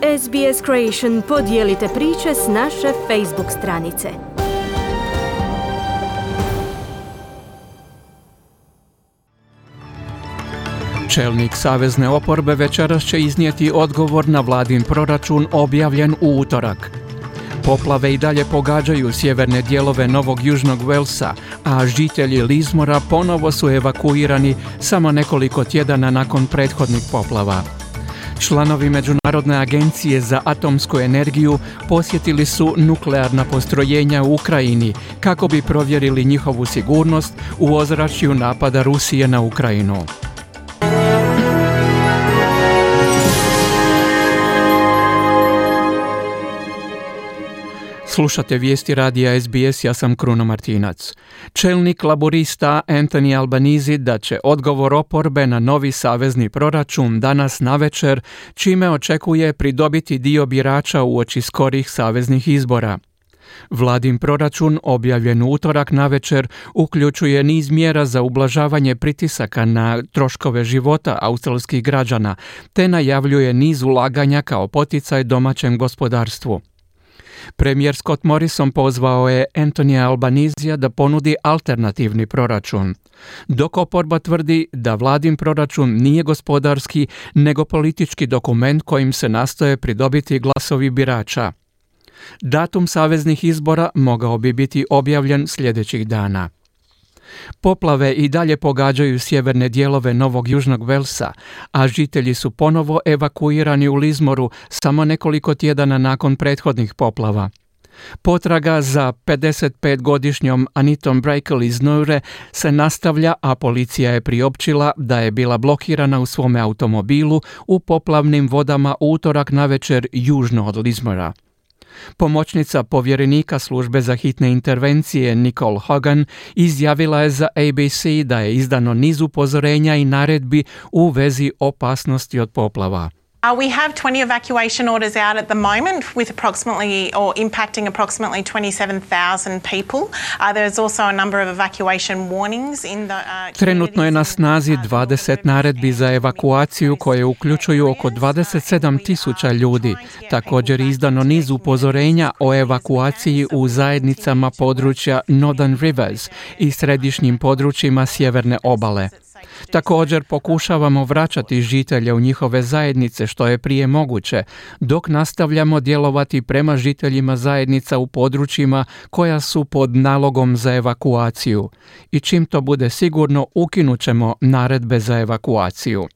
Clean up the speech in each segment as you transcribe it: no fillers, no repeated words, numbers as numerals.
SBS Creation podijelite priče s naše Facebook stranice. Čelnik savezne oporbe večeras će iznijeti odgovor na vladin proračun objavljen u utorak. Poplave i dalje pogađaju sjeverne dijelove Novog Južnog Walesa, a žitelji Lismora ponovo su evakuirani samo nekoliko tjedana nakon prethodnih poplava. Članovi Međunarodne agencije za atomsku energiju posjetili su nuklearna postrojenja u Ukrajini kako bi provjerili njihovu sigurnost u ozračju napada Rusije na Ukrajinu. Slušate vijesti radija SBS, ja sam Kruno Martinac. Čelnik laborista Anthony Albanese dat će odgovor oporbe na novi savezni proračun danas navečer, čime očekuje pridobiti dio birača uoči skorih saveznih izbora. Vladin proračun, objavljen u utorak navečer, uključuje niz mjera za ublažavanje pritisaka na troškove života australskih građana, te najavljuje niz ulaganja kao poticaj domaćem gospodarstvu. Premijer Scott Morrison pozvao je Anthonyja Albanesea da ponudi alternativni proračun, dok oporba tvrdi da vladin proračun nije gospodarski, nego politički dokument kojim se nastoje pridobiti glasovi birača. Datum saveznih izbora mogao bi biti objavljen sljedećih dana. Poplave i dalje pogađaju sjeverne dijelove Novog Južnog Walesa, a žitelji su ponovo evakuirani u Lismoru samo nekoliko tjedana nakon prethodnih poplava. Potraga za 55-godišnjom Anitom Brakel iz Noure se nastavlja, a policija je priopćila da je bila blokirana u svome automobilu u poplavnim vodama u utorak navečer južno od Lismora. Pomoćnica povjerenika službe za hitne intervencije Nicole Hogan izjavila je za ABC da je izdano niz upozorenja i naredbi u vezi opasnosti od poplava. We have 20 evacuation orders out at the moment with impacting approximately 27,000 people. There's also a number of evacuation warnings in the Trenutno je na snazi 20 naredbi za evakuaciju koje uključuju oko 27,000 ljudi. Također je izdano niz upozorenja o evakuaciji u zajednicama područja Northern Rivers i središnjim područjima sjeverne obale. Također pokušavamo vraćati žitelje u njihove zajednice što je prije moguće, dok nastavljamo djelovati prema žiteljima zajednica u područjima koja su pod nalogom za evakuaciju. I čim to bude sigurno, ukinut ćemo naredbe za evakuaciju.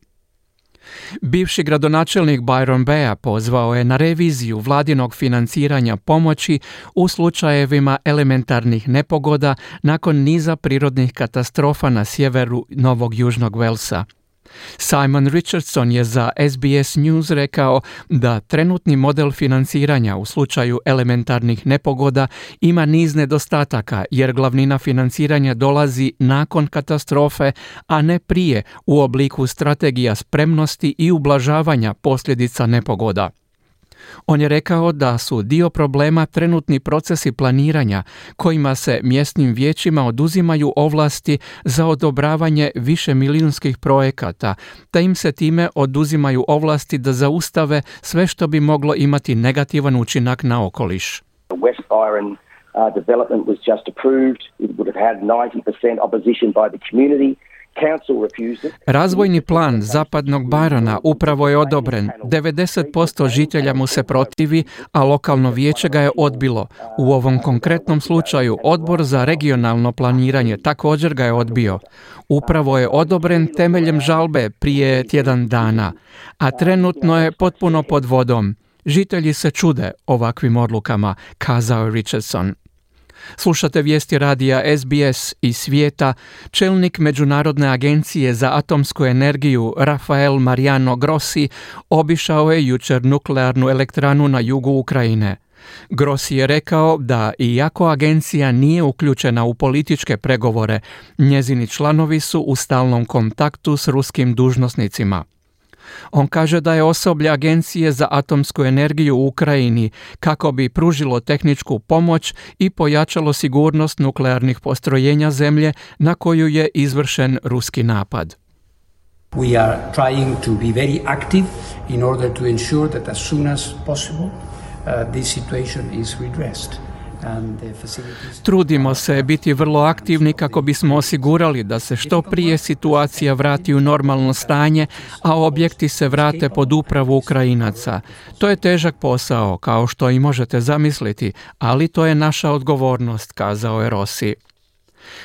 Bivši gradonačelnik Byron Bay pozvao je na reviziju vladinog financiranja pomoći u slučajevima elementarnih nepogoda nakon niza prirodnih katastrofa na sjeveru Novog Južnog Walesa. Simon Richardson je za SBS News rekao da trenutni model financiranja u slučaju elementarnih nepogoda ima niz nedostataka jer glavnina financiranja dolazi nakon katastrofe, a ne prije u obliku strategija spremnosti i ublažavanja posljedica nepogoda. On je rekao da su dio problema trenutni procesi planiranja kojima se mjesnim vijećima oduzimaju ovlasti za odobravanje višemilijunskih projekata, te im se time oduzimaju ovlasti da zaustave sve što bi moglo imati negativan učinak na okoliš. West Byron development was just approved. It would have had 90% opposition by the community. Razvojni plan zapadnog Byrona upravo je odobren. 90% žitelja mu se protivi, a lokalno vijeće ga je odbilo. U ovom konkretnom slučaju Odbor za regionalno planiranje također ga je odbio. Upravo je odobren temeljem žalbe prije tjedan dana, a trenutno je potpuno pod vodom. Žitelji se čude ovakvim odlukama, kazao je Richardson. Slušate vijesti radija SBS iz svijeta. Čelnik Međunarodne agencije za atomsku energiju Rafael Mariano Grossi obišao je jučer nuklearnu elektranu na jugu Ukrajine. Grossi je rekao da iako agencija nije uključena u političke pregovore, njezini članovi su u stalnom kontaktu s ruskim dužnosnicima. On kaže da je osoblje Agencije za atomsku energiju u Ukrajini kako bi pružilo tehničku pomoć i pojačalo sigurnost nuklearnih postrojenja zemlje na koju je izvršen ruski napad. We are trying to be very active in order to ensure that as soon as possible this situation is redressed. Trudimo se biti vrlo aktivni kako bismo osigurali da se što prije situacija vrati u normalno stanje, a objekti se vrate pod upravu Ukrajinaca. To je težak posao, kao što i možete zamisliti, ali to je naša odgovornost, kazao je Rossi.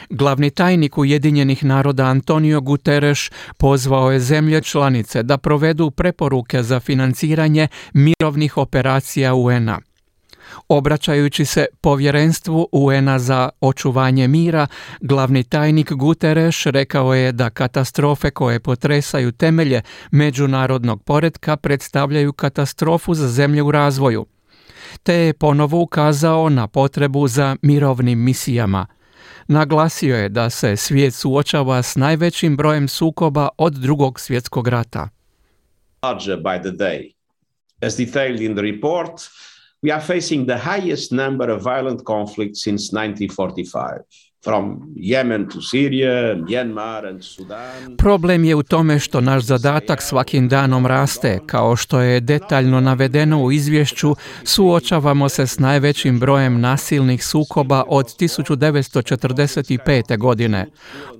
Glavni tajnik Ujedinjenih naroda Antonio Guterres pozvao je zemlje članice da provedu preporuke za financiranje mirovnih operacija UN-a. Obraćajući se povjerenstvu UN-a za očuvanje mira, glavni tajnik Guterres rekao je da katastrofe koje potresaju temelje međunarodnog poretka predstavljaju katastrofu za zemlje u razvoju, te je ponovo ukazao na potrebu za mirovnim misijama. Naglasio je da se svijet suočava s najvećim brojem sukoba od Drugog svjetskog rata. By the day. As detailed in the report, we are facing the highest number of violent conflicts since 1945. From Yemen to Syria, Myanmar and Sudan. Problem je u tome što naš zadatak svakim danom raste. Kao što je detaljno navedeno u izvješću, suočavamo se s najvećim brojem nasilnih sukoba od 1945. godine.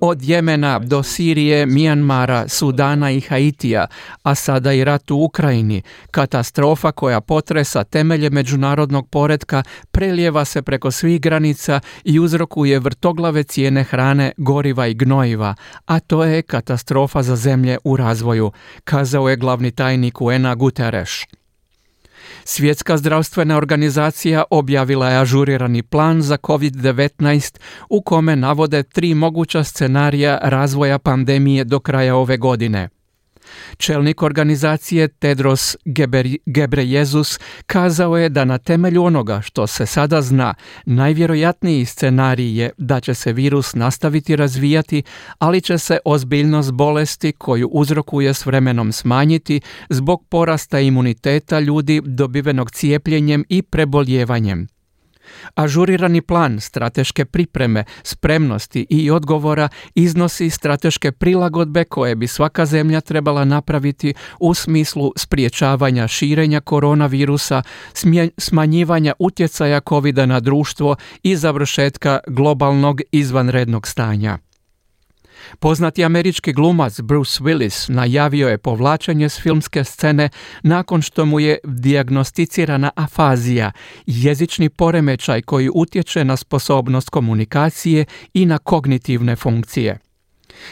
Od Jemena do Sirije, Myanmara, Sudana i Haitija, a sada i rat u Ukrajini. Katastrofa koja potresa temelje međunarodnog poretka prelijeva se preko svih granica i uzrokuje vrtoglave cijene hrane, goriva i gnojiva, a to je katastrofa za zemlje u razvoju, kazao je glavni tajnik UN-a Guterres. Svjetska zdravstvena organizacija objavila je ažurirani plan za COVID-19 u kome navode 3 moguća scenarija razvoja pandemije do kraja ove godine. Čelnik organizacije Tedros Ghebreyesus kazao je da na temelju onoga što se sada zna, najvjerojatniji scenarij je da će se virus nastaviti razvijati, ali će se ozbiljnost bolesti koju uzrokuje s vremenom smanjiti zbog porasta imuniteta ljudi dobivenog cijepljenjem i preboljevanjem. Ažurirani plan strateške pripreme, spremnosti i odgovora iznosi strateške prilagodbe koje bi svaka zemlja trebala napraviti u smislu spriječavanja širenja koronavirusa, smanjivanja utjecaja COVID-a na društvo i završetka globalnog izvanrednog stanja. Poznati američki glumac Bruce Willis najavio je povlačenje s filmske scene nakon što mu je dijagnosticirana afazija, jezični poremećaj koji utječe na sposobnost komunikacije i na kognitivne funkcije.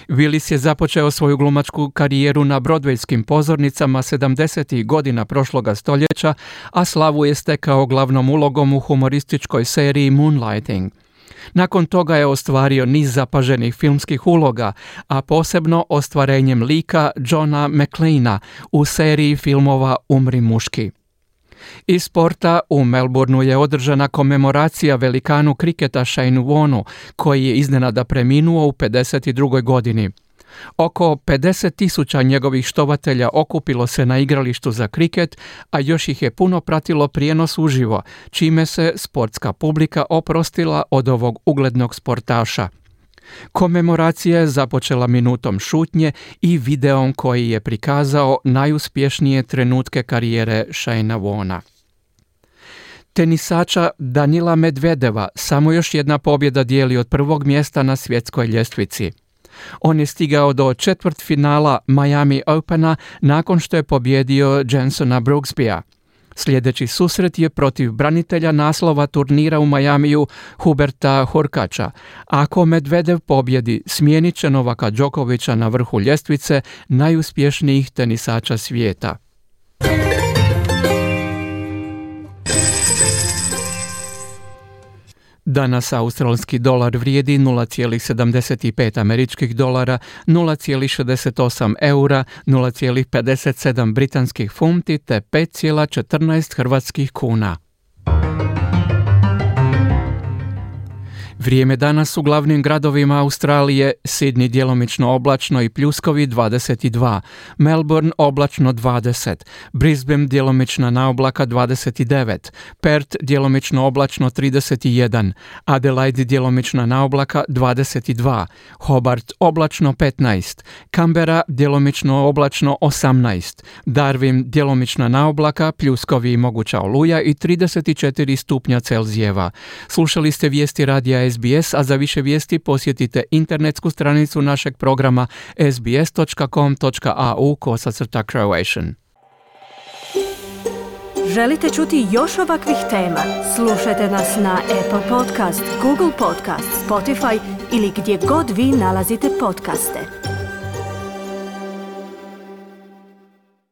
Willis je započeo svoju glumačku karijeru na Broadwayskim pozornicama 70. godina prošloga stoljeća, a slavu je stekao glavnom ulogom u humorističkoj seriji Moonlighting. Nakon toga je ostvario niz zapaženih filmskih uloga, a posebno ostvarenjem lika Johna McClaina u seriji filmova Umri muški. Iz sporta u Melbourneu je održana komemoracija velikanu kriketa Shane Warnu, koji je iznenada preminuo u 52. godini. Oko 50.000 njegovih štovatelja okupilo se na igralištu za kriket, a još ih je puno pratilo prijenos uživo, čime se sportska publika oprostila od ovog uglednog sportaša. Komemoracija je započela minutom šutnje i videom koji je prikazao najuspješnije trenutke karijere Shanea Warna. Tenisača Danila Medvedeva samo još jedna pobjeda dijeli od prvog mjesta na svjetskoj ljestvici. On je stigao do četvrtfinala Miami Opena nakon što je pobjedio Jensona Brooksbya. Sljedeći susret je protiv branitelja naslova turnira u Miamiju Huberta Hurkača. Ako Medvedev pobjedi, smijenit će Novaka Đokovića na vrhu ljestvice najuspješnijih tenisača svijeta. Danas australski dolar vrijedi 0,75 američkih dolara, 0,68 eura, 0,57 britanskih funti te 5,14 hrvatskih kuna. Vrijeme danas u glavnim gradovima Australije: Sydney djelomično oblačno i pljuskovi 22, Melbourne oblačno 20, Brisbane djelomična naoblaka 29, Perth djelomično oblačno 31, Adelaide djelomična naoblaka 22, Hobart oblačno 15, Canberra djelomično oblačno 18, Darwin djelomična naoblaka, pljuskovi i moguća oluja i 34 stupnja Celzijeva. Slušali ste vijesti radija SBS, a za više vijesti posjetite internetsku stranicu našeg programa sbs.com.au/Croatian. Želite čuti još ovakvih tema? Slušajte nas na Apple Podcast, Google Podcast, Spotify ili gdje god vi nalazite podcaste.